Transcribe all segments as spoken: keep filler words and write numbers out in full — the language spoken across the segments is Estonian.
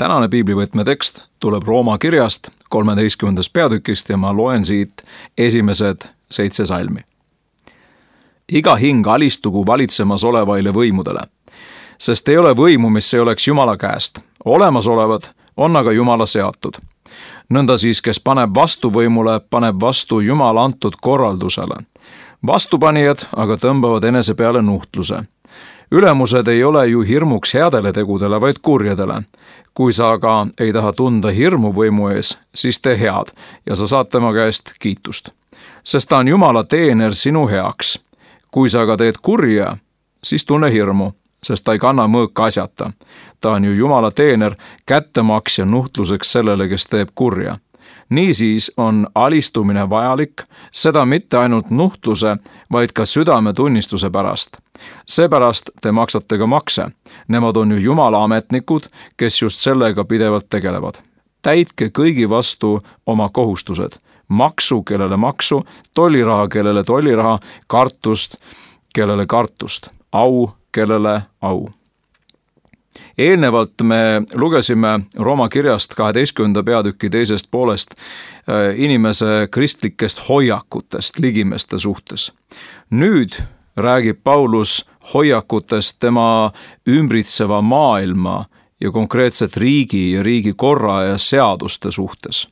Tänane piiblivõtme tekst tuleb Rooma kirjast kolmeteistkümnendast peatükist ja ma loen siit esimesed seitse salmi. Iga hing alistugu valitsemas olevaile võimudele, sest ei ole võimu, mis ei oleks Jumala käest. Olemasolevad on aga Jumala seatud. Nõnda siis, kes paneb vastuvõimule, paneb vastu Jumala antud korraldusele. Vastupanijad aga tõmbavad enese peale nuhtluse. Ülemused ei ole ju hirmuks headele tegudele, vaid kurjadele. Kui sa aga ei taha tunda hirmu võimu ees, siis tee head ja sa saad tema käest kiitust. Sest ta on Jumala teener sinu heaks. Kui sa aga teed kurja, siis tunne hirmu, sest ta ei kanna mõõka asjata. Ta on ju Jumala teener, kättemaksja nuhtluseks sellele, kes teeb kurja. Niisiis on alistumine vajalik, seda mitte ainult nuhtluse, vaid ka südametunnistuse pärast. Seepärast te maksate ka makse. Nemad on ju Jumala ametnikud, kes just sellega pidevalt tegelevad. Täitke kõigi vastu oma kohustused. Maksu, kellele maksu, tolliraha, kellele tolliraha, kartust, kellele kartust, au, kellele au. Eelnevalt me lugesime Rooma kirjast kaheteistkümnenda peatüki teisest poolest inimese kristlikest hoiakutest ligimeste suhtes. Nüüd räägib Paulus hoiakutest tema ümbritseva maailma ja konkreetselt riigi ja riigi korra ja seaduste suhtes.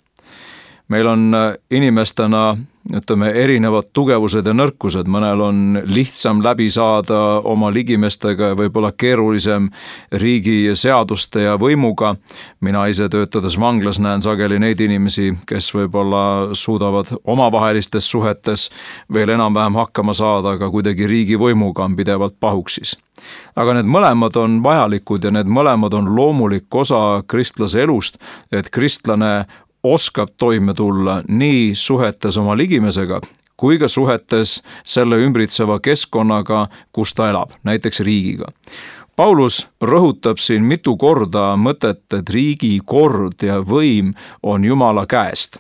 Meil on inimestena, ütleme, erinevad tugevused ja nõrkused. Mõnel on lihtsam läbi saada oma ligimestega ja võib-olla keerulisem riigi seaduste ja võimuga. Mina ise töötades vanglas näen sageli neid inimesi, kes võib-olla suudavad omavahelistes suhetes veel enam-vähem hakkama saada, aga kuidagi riigi võimuga on pidevalt pahuksis. Aga need mõlemad on vajalikud ja need mõlemad on loomulik osa kristlase elust, et kristlane oskab toime tulla nii suhetes oma ligimesega, kui ka suhetes selle ümbritseva keskkonnaga, kus ta elab, näiteks riigiga. Paulus rõhutab siin mitu korda mõtet, et riigi kord ja võim on Jumala käest.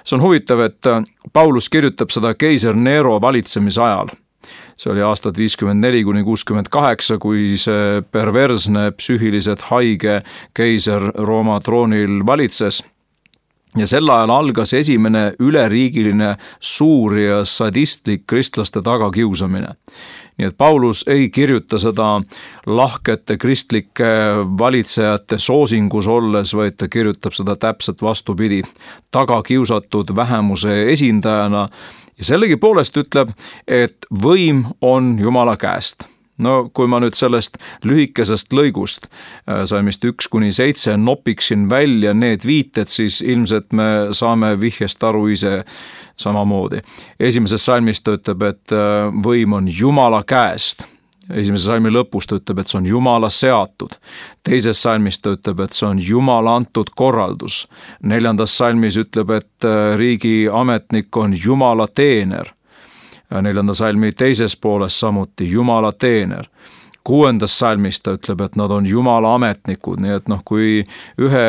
See on huvitav, et Paulus kirjutab seda keiser Nero valitsemise ajal. See oli aastad viiskümmend neli kuni kuuskümmend kaheksa, kui see perversne, psüühiliselt haige keiser Rooma troonil valitses. Ja sel ajal algas esimene üleriigiline suur ja sadistlik kristlaste tagakiusamine. Nii et Paulus ei kirjuta seda lahkete kristlike valitsejate soosingus olles, vaid ta kirjutab seda täpselt vastupidi, tagakiusatud vähemuse esindajana ja sellegi poolest ütleb, et võim on Jumala käest. No kui ma nüüd sellest lühikesest lõigust salmist üks kuni seitse nopiksin välja need viited, siis ilmselt me saame vihjest aru ise samamoodi. Esimeses salmis ta ütleb, et võim on Jumala käest. Esimese salmi lõpus ta ütleb, et see on Jumala seatud. Teises salmis ta ütleb, et see on Jumala antud korraldus. Neljandas salmis ütleb, et riigi ametnik on Jumala teener. Neljanda salmi teises pooles samuti Jumala teener. Kuuendas salmis ta ütleb, et nad on Jumala ametnikud, nii et noh, kui ühe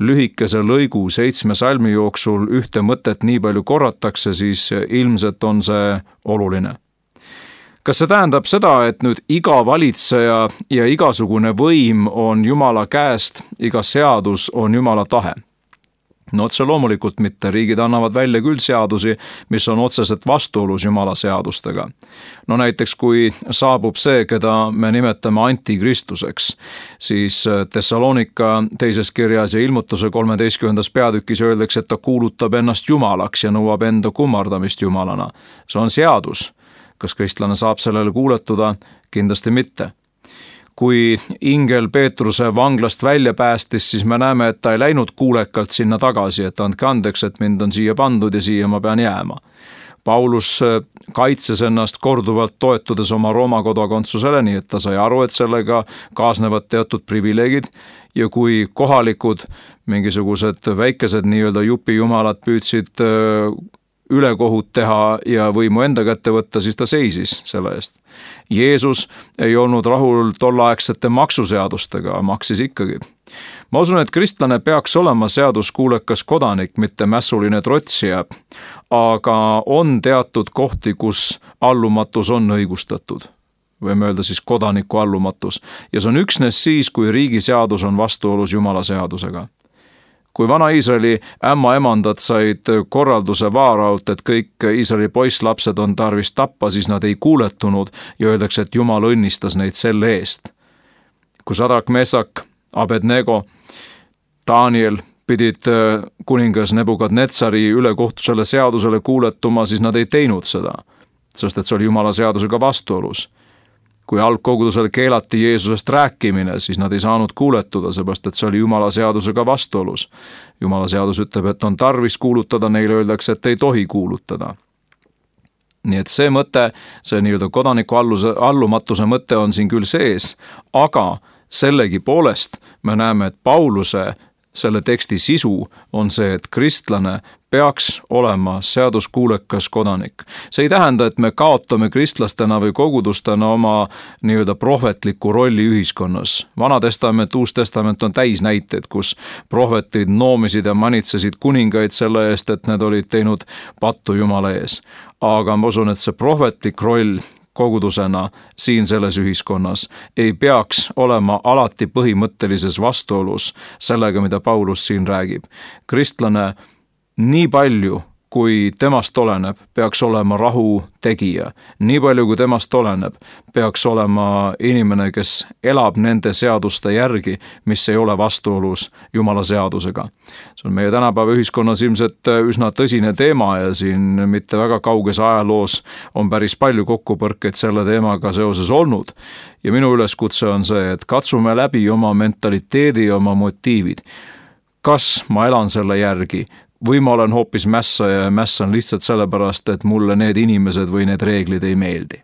lühikese lõigu seitsme salmi jooksul ühte mõtet nii palju korratakse, siis ilmselt on see oluline. Kas see tähendab seda, et nüüd iga valitseja ja igasugune võim on Jumala käest, iga seadus on Jumala tahe? No otse loomulikult mitte, riigid annavad välja küll seadusi, mis on otseselt vastuolus Jumala seadustega. No näiteks kui saabub see, keda me nimetame antikristuseks, siis Thessalonika teises kirjas ja ilmutuse kolmeteistkümnendas peatükis öeldakse, et ta kuulutab ennast Jumalaks ja nõuab enda kummardamist Jumalana. See on seadus. Kas kristlane saab sellele kuuletuda? Kindlasti mitte. Kui ingel Peetruse vanglast välja päästis, siis me näeme, et ta ei läinud kuulekalt sinna tagasi, et andke andeks, et mind on siia pandud ja siia ma pean jääma. Paulus kaitses ennast korduvalt toetudes oma Rooma kodakondsusele, nii et ta sai aru, et sellega kaasnevad teatud privileegid ja kui kohalikud mingisugused väikesed nii-öelda jupijumalad püüdsid ülekohut teha ja võimu enda kätte võtta, siis ta seisis selle eest. Jeesus ei olnud rahul tolleaegsete maksuseadustega, maksis ikkagi. Ma usun, et kristlane peaks olema seaduskuulekas kodanik, mitte mässuline trotsija, aga on teatud kohti, kus allumatus on õigustatud. võime öelda siis kodaniku allumatus. Ja see on üksnes siis, kui riigi seadus on vastuolus Jumala seadusega. Kui vana Iisraeli ämmaemandad said korralduse vaarault, et kõik Iisraeli poisslapsed on tarvis tappa, siis nad ei kuuletunud ja öeldakse, et Jumal õnnistas neid selle eest. Kui Sadrak, Mesak, Abednego, Daniel pidid kuningas Nebukadnetsari ülekohtusele seadusele kuuletuma, siis nad ei teinud seda, sest et see oli Jumala seadusega vastuolus. Kui algkogudusel keelati Jeesusest rääkimine, siis nad ei saanud kuuletuda, seepärast et see oli Jumala seadusega vastuolus. Jumala seadus ütleb, et on tarvis kuulutada, neile öeldakse, et ei tohi kuulutada. Nii et see mõte, see nii-öelda kodaniku alluse, allumatuse mõte on siin küll sees, aga sellegi poolest me näeme, et Pauluse selle teksti sisu on see, et kristlane peaks olema seaduskuulekas kodanik. See ei tähenda, et me kaotame kristlastena või kogudustena oma nii-öelda prohvetliku rolli ühiskonnas. Vana testament, Uus testament on täis näiteid, kus prohvetid noomisid ja manitsesid kuningaid selle eest, et need olid teinud pattu Jumala ees. Aga ma usun, et see prohvetlik roll kogudusena siin selles ühiskonnas ei peaks olema alati põhimõttelises vastuolus sellega, mida Paulus siin räägib. Kristlane nii palju, kui temast oleneb, peaks olema rahu tegija. Nii palju, kui temast oleneb, peaks olema inimene, kes elab nende seaduste järgi, mis ei ole vastuolus Jumala seadusega. See on meie tänapäeva ühiskonnas ilmselt üsna tõsine teema ja siin mitte väga kauges ajaloos on päris palju kokkupõrkeid selle teemaga seoses olnud. Ja minu üleskutse on see, et katsume läbi oma mentaliteedi ja oma motiivid. Kas ma elan selle järgi? Või ma olen hoopis mässaja ja mässan lihtsalt sellepärast, et mulle need inimesed või need reeglid ei meeldi.